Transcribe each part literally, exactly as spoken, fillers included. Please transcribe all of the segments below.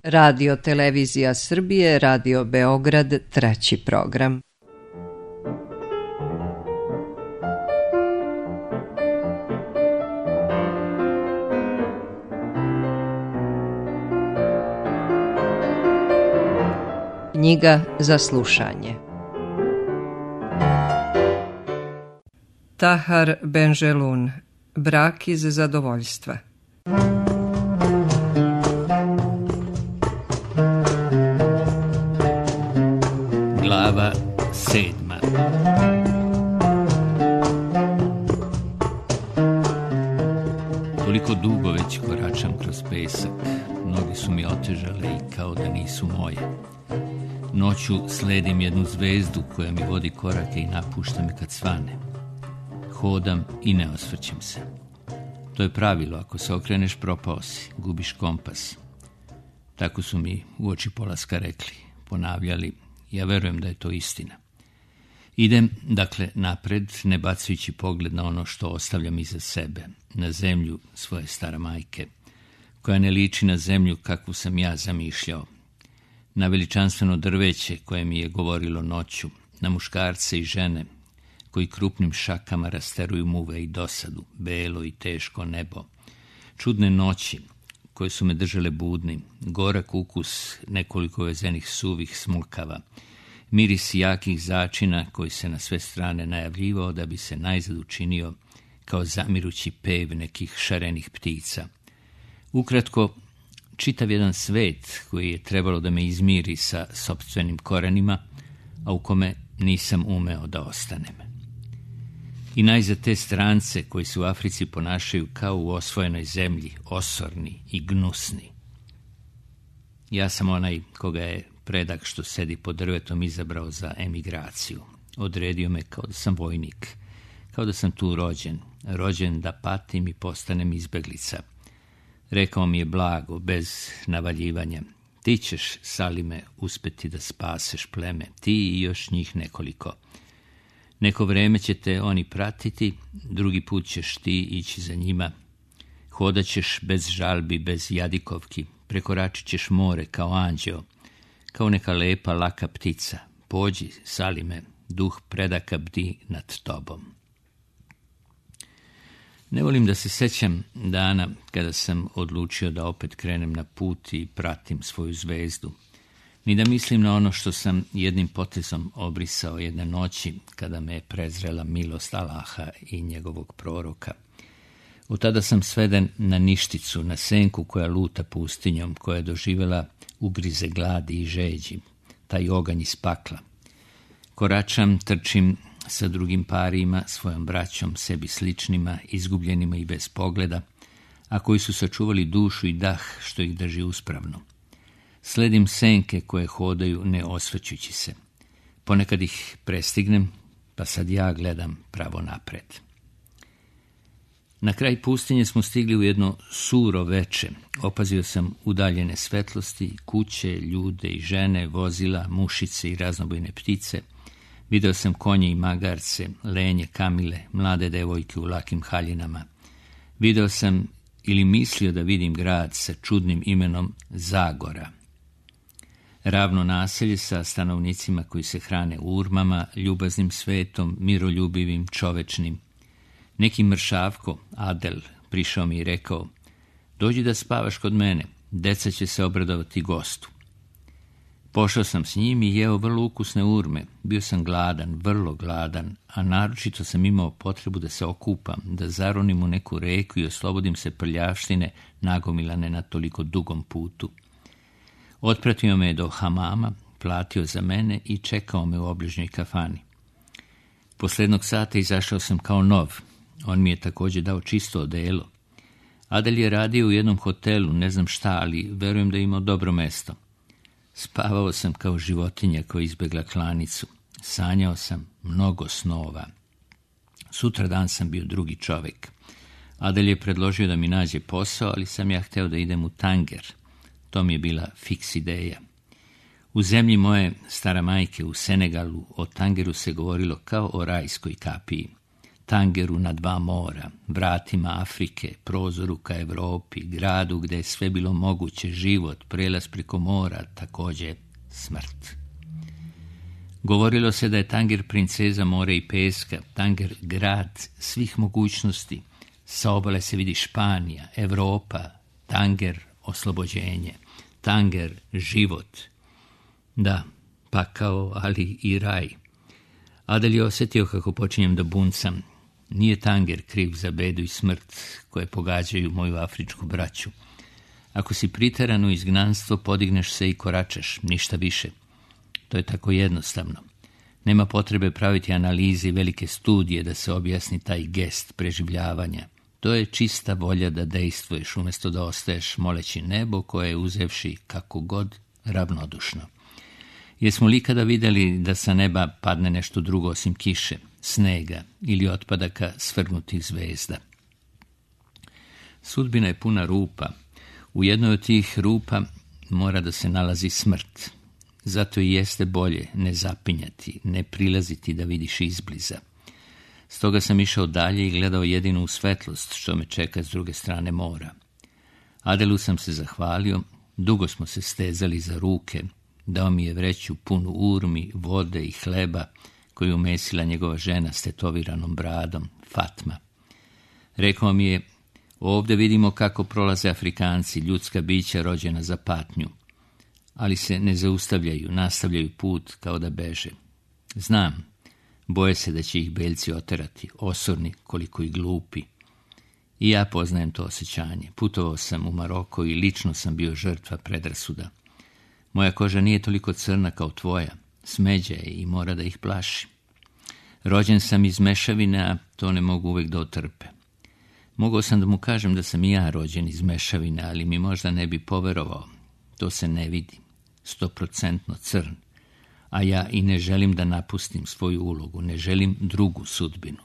Radio Televizija Srbije, Radio Beograd, treći program. Knjiga za slušanje. Tahar Benjelun, Brak iz zadovoljstva. Glava sedma. Toliko dugo već koračam kroz pesak. Noge su mi otežale i kao da nisu moje. Noću sledim jednu zvezdu koja mi vodi korake i napušta me kad svane. Hodam i ne osvrćem se. To je pravilo, ako se okreneš propao si, gubiš kompas. Tako su mi uoči polaska rekli, ponavljali. Ja verujem da je to istina. Idem, dakle, napred, ne bacajući pogled na ono što ostavljam iza sebe, na zemlju svoje stare majke, koja ne liči na zemlju kakvu sam ja zamišljao, na veličanstveno drveće koje mi je govorilo noću, na muškarce i žene koji krupnim šakama rasteruju muve i dosadu, belo i teško nebo, čudne noći koje su me držale budnim, gorak ukus nekoliko vezenih suvih smulkava, miris jakih začina koji se na sve strane najavljivao da bi se najzad učinio kao zamirući pev nekih šarenih ptica. Ukratko, čitav jedan svet koji je trebalo da me izmiri sa sopstvenim korenima, a u kome nisam umeo da ostanem. I najzad te strance koji se u Africi ponašaju kao u osvojenoj zemlji, osorni i gnusni. Ja sam onaj koga je predak što sedi pod drvetom izabrao za emigraciju. Odredio me kao da sam vojnik, kao da sam tu rođen, rođen da patim i postanem izbeglica. Rekao mi je blago, bez navaljivanja, ti ćeš, Salime, uspeti da spaseš pleme, ti i još njih nekoliko. Neko vreme će te oni pratiti, drugi put ćeš ti ići za njima. Hodat ćeš bez žalbi, bez jadikovki, prekoračit ćeš more kao anđeo, kao neka lepa, laka ptica. Pođi, Salime, duh predaka bdi nad tobom. Ne volim da se sećam dana kada sam odlučio da opet krenem na put i pratim svoju zvezdu, ni da mislim na ono što sam jednim potezom obrisao jedne noći kada me je prezrela milost Allaha i njegovog proroka. Od tada sam sveden na ništicu, na senku koja luta pustinjom, koja je doživjela ugrize gladi i žeđi, taj oganj iz pakla. Koračam, trčim sa drugim parima, svojom braćom, sebi sličnima, izgubljenima i bez pogleda, a koji su sačuvali dušu i dah što ih drži uspravno. Sledim senke koje hodaju ne osvrćući se. Ponekad ih prestignem, pa sad ja gledam pravo napred. Na kraj pustinje smo stigli u jedno suro veče. Opazio sam udaljene svetlosti, kuće, ljude i žene, vozila, mušice i raznobojne ptice. Video sam konje i magarce, lenje, kamile, mlade devojke u lakim haljinama. Video sam ili mislio da vidim grad sa čudnim imenom Zagora. Ravno naselje sa stanovnicima koji se hrane urmama, ljubaznim svetom, miroljubivim, čovečnim. Neki mršavko, Adel, prišao mi i rekao, dođi da spavaš kod mene, deca će se obradovati gostu. Pošao sam s njim i jeo vrlo ukusne urme. Bio sam gladan, vrlo gladan, a naročito sam imao potrebu da se okupam, da zaronim u neku reku i oslobodim se prljavštine nagomilane na toliko dugom putu. Otpratio me do hamama, platio za mene i čekao me u obližnjoj kafani. Posle jednog sata izašao sam kao nov. On mi je također dao čisto odelo. Adel je radio u jednom hotelu, ne znam šta, ali verujem da je imao dobro mesto. Spavao sam kao životinja koja izbegla klanicu. Sanjao sam mnogo snova. Sutra dan sam bio drugi čovjek. Adel je predložio da mi nađe posao, ali sam ja hteo da idem u Tanger. To mi je bila fiks ideja. U zemlji moje stara majke u Senegalu o Tangeru se govorilo kao o rajskoj kapiji. tangeru na dva mora, vratima Afrike, prozoru ka Evropi, gradu gde je sve bilo moguće, život, prelaz preko mora, također smrt. Govorilo se da je Tanger princeza mora i peska, Tanger grad svih mogućnosti, sa obale se vidi Španija, Evropa, Tanger oslobođenje, Tanger život. Da, pakao, ali i raj. Adel je osjetio kako počinjem da buncam. Nije Tanger kriv za bedu i smrt koje pogađaju moju afričku braću. Ako si priteran u izgnanstvo, podigneš se i koračaš, ništa više. To je tako jednostavno. Nema potrebe praviti analize i velike studije da se objasni taj gest preživljavanja. To je čista volja da dejstvuješ umjesto da ostaješ moleći nebo koje je uzevši kako god ravnodušno. Jesmo li ikada vidjeli da sa neba padne nešto drugo osim kiše, snega ili otpadaka svrgnutih zvezda? Sudbina je puna rupa. U jednoj od tih rupa mora da se nalazi smrt. Zato i jeste bolje ne zapinjati, ne prilaziti da vidiš izbliza. Stoga sam išao dalje i gledao jedinu svetlost što me čeka s druge strane mora. Adelu sam se zahvalio, dugo smo se stezali za ruke, dao mi je vreću punu urmi, vode i hleba koju umesila njegova žena s tetoviranom bradom, Fatma. Rekao mi je, ovdje vidimo kako prolaze Afrikanci, ljudska bića rođena za patnju, ali se ne zaustavljaju, nastavljaju put kao da beže. Znam, boje se da će ih beljci oterati, osorni koliko i glupi. I ja poznajem to osjećanje. Putovao sam u Maroko i lično sam bio žrtva predrasuda. Moja koža nije toliko crna kao tvoja, smeđa je i mora da ih plaši. Rođen sam iz mešavine, a to ne mogu uvijek da otrpe. Mogao sam da mu kažem da sam i ja rođen iz mešavine, ali mi možda ne bi poverovao. To se ne vidi, stoprocentno crn. A ja i ne želim da napustim svoju ulogu, ne želim drugu sudbinu.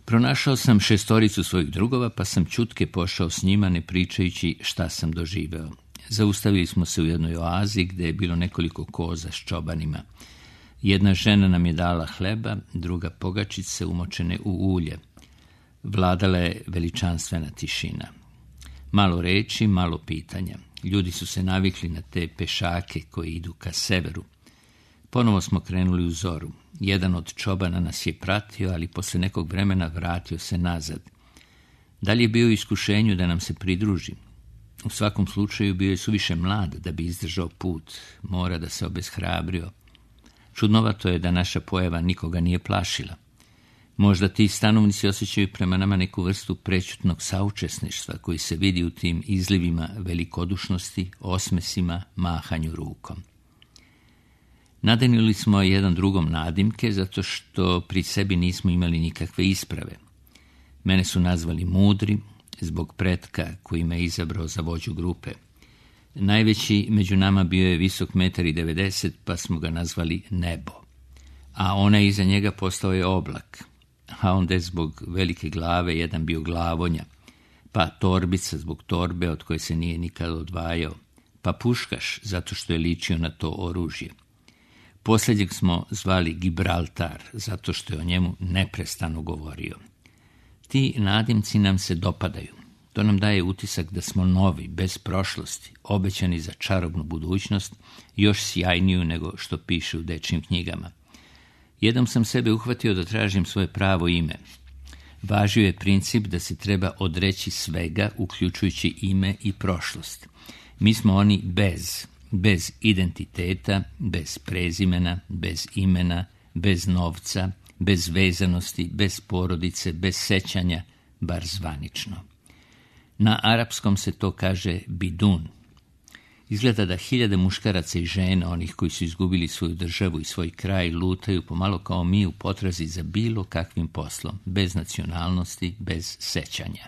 Pronašao sam šestoricu svojih drugova, pa sam ćutke pošao s njima, ne pričajući šta sam doživeo. Zaustavili smo se u jednoj oazi gde je bilo nekoliko koza s čobanima. Jedna žena nam je dala hleba, druga pogačice umočene u ulje. Vladala je veličanstvena tišina. Malo reči, malo pitanja. Ljudi su se navikli na te pešake koji idu ka severu. Ponovo smo krenuli u zoru. Jedan od čobana nas je pratio, ali posle nekog vremena vratio se nazad. Dalje je bio u iskušenju da nam se pridruži. U svakom slučaju bio je suviše mlad da bi izdržao put. Mora da se obeshrabrio. Čudnovato je da naša pojava nikoga nije plašila. Možda ti stanovnici osjećaju prema nama neku vrstu prećutnog saučesništva koji se vidi u tim izlivima velikodušnosti, osmesima, mahanju rukom. Nadenili smo jedan drugom nadimke zato što pri sebi nismo imali nikakve isprave. Mene su nazvali mudri zbog pretka koji me izabrao za vođu grupe. Najveći među nama bio je visok metar i devedeset, pa smo ga nazvali nebo. A onaj iza njega postao je oblak. A onda je zbog velike glave jedan bio glavonja, pa torbica zbog torbe od koje se nije nikada odvajao, pa puškaš zato što je ličio na to oružje. Posljednjeg smo zvali Gibraltar zato što je o njemu neprestano govorio. Ti nadimci nam se dopadaju. To nam daje utisak da smo novi, bez prošlosti, obećani za čarobnu budućnost, još sjajniju nego što piše u dečjim knjigama. Jednom sam sebe uhvatio da tražim svoje pravo ime. Važio je princip da se treba odreći svega, uključujući ime i prošlost. Mi smo oni bez, bez identiteta, bez prezimena, bez imena, bez novca, bez vezanosti, bez porodice, bez sećanja, bar zvanično. Na arapskom se to kaže bidun. Izgleda da hiljade muškaraca i žena, onih koji su izgubili svoju državu i svoj kraj, lutaju pomalo kao mi u potrazi za bilo kakvim poslom, bez nacionalnosti, bez sećanja.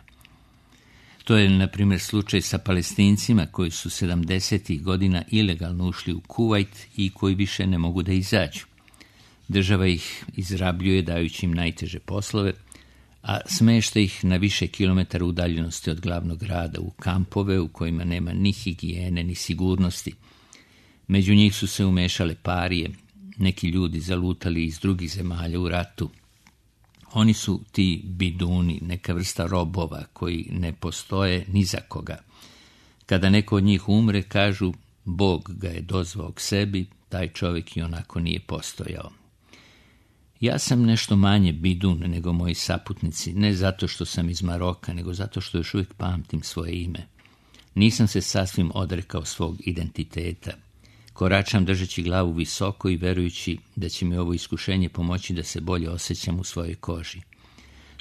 To je, na primjer, slučaj sa Palestincima koji su sedamdesetih godina ilegalno ušli u Kuvajt i koji više ne mogu da izađu. Država ih izrabljuje dajući im najteže poslove, a smešta ih na više kilometara udaljenosti od glavnog grada u kampove u kojima nema ni higijene ni sigurnosti. Među njih su se umešale parije, neki ljudi zalutali iz drugih zemalja u ratu, Oni su ti biduni, neka vrsta robova koji ne postoje ni za koga. Kada neko od njih umre, kažu, Bog ga je dozvao k sebi, taj čovjek i onako nije postojao. Ja sam nešto manje bidun nego moji saputnici, ne zato što sam iz Maroka, nego zato što još uvijek pamtim svoje ime. Nisam se sasvim odrekao svog identiteta. Koračam držeći glavu visoko i verujući da će mi ovo iskušenje pomoći da se bolje osjećam u svojoj koži.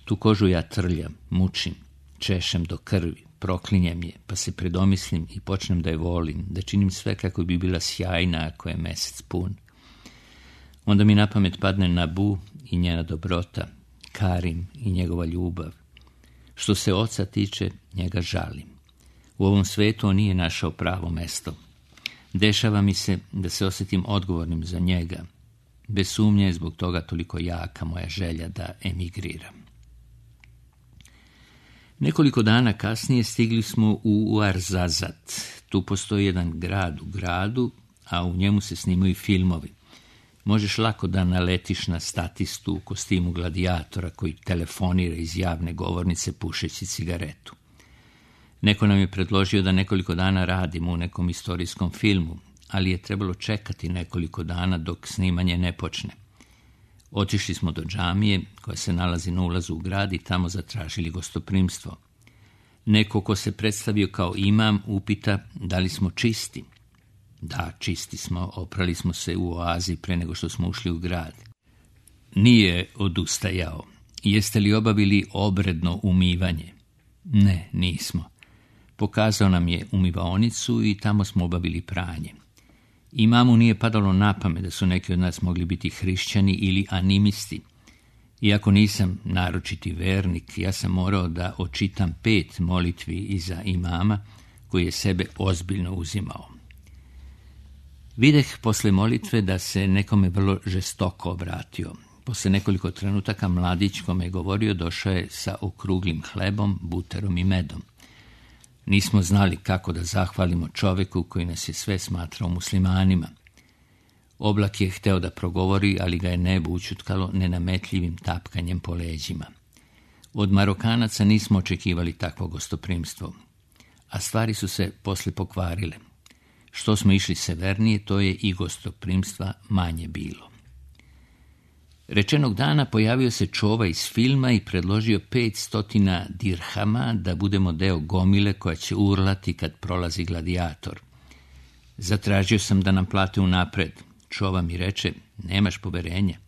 Tu kožu ja trljam, mučim, češem do krvi, proklinjem je, pa se predomislim i počnem da je volim, da činim sve kako bi bila sjajna ako je mesec pun. Onda mi na pamet padne Nabu i njena dobrota, Karim i njegova ljubav. Što se oca tiče, njega žalim. U ovom svetu on nije našao pravo mesto. Dešava mi se da se osjetim odgovornim za njega. Bez sumnje je zbog toga toliko jaka moja želja da emigriram. Nekoliko dana kasnije stigli smo u Ouarzazate. Tu postoji jedan grad u gradu, a u njemu se snimaju filmovi. Možeš lako da naletiš na statistu u kostimu gladijatora koji telefonira iz javne govornice pušeći cigaretu. Neko nam je predložio da nekoliko dana radimo u nekom istorijskom filmu, ali je trebalo čekati nekoliko dana dok snimanje ne počne. Otišli smo do džamije koja se nalazi na ulazu u grad i tamo zatražili gostoprimstvo. Neko ko se predstavio kao imam upita da li smo čisti. Da, čisti smo, oprali smo se u oazi pre nego što smo ušli u grad. Nije odustajao. Jeste li obavili obredno umivanje? Ne, nismo. Pokazao nam je umivaonicu i tamo smo obavili pranje. Imamu nije padalo na pamet da su neki od nas mogli biti hrišćani ili animisti. Iako nisam naročiti vernik, ja sam morao da očitam pet molitvi iza imama koji je sebe ozbiljno uzimao. Videh posle molitve da se nekome vrlo žestoko obratio. Posle nekoliko trenutaka mladić kome je govorio došao je sa okruglim hlebom, buterom i medom. Nismo znali kako da zahvalimo čoveku koji nas je sve smatrao muslimanima. Oblak je hteo da progovori, ali ga je nebo učutkalo nenametljivim tapkanjem po leđima. Od Marokanaca nismo očekivali takvo gostoprimstvo, a stvari su se posle pokvarile. Što smo išli severnije, to je i gostoprimstva manje bilo. Rečenog dana pojavio se čova iz filma i predložio pet stotina dirhama da budemo deo gomile koja će urlati kad prolazi gladijator. Zatražio sam da nam plate unapred. Čova mi reče, nemaš poverenja?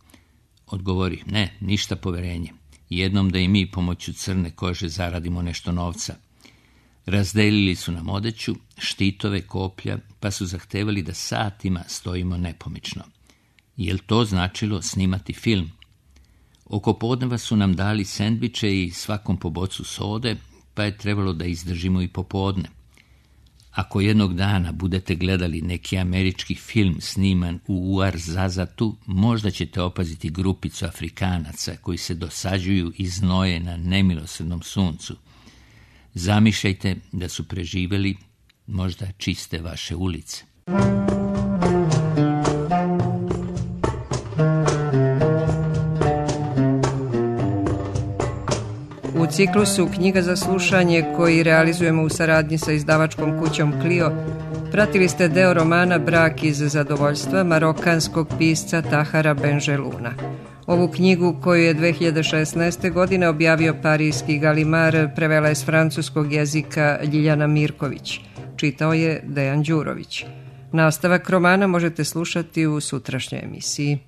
Odgovori, ne, ništa poverenje. Jednom da i mi pomoću crne kože zaradimo nešto novca. Razdelili su nam odeću, štitove, koplja, pa su zahtevali da satima stojimo nepomično. Jel to značilo snimati film? Oko podneva su nam dali sendviče i svakom po bocu sode, pa je trebalo da izdržimo i popodne. Ako jednog dana budete gledali neki američki film sniman u Ouarzazatu, možda ćete opaziti grupicu Afrikanaca koji se dosađuju i znoje na nemilosrdnom suncu. Zamišljajte da su preživeli, možda čiste vaše ulice. U ciklusu Knjiga za slušanje koji realizujemo u saradnji sa izdavačkom kućom Clio, pratili ste deo romana Brak iz zadovoljstva marokanskog pisca Tahara Benjeluna. Ovu knjigu koju je dve hiljade šesnaeste. godine objavio parijski Galimar prevela je s francuskog jezika Ljiljana Mirković. Čitao je Dejan Đurović. Nastavak romana možete slušati u sutrašnjoj emisiji.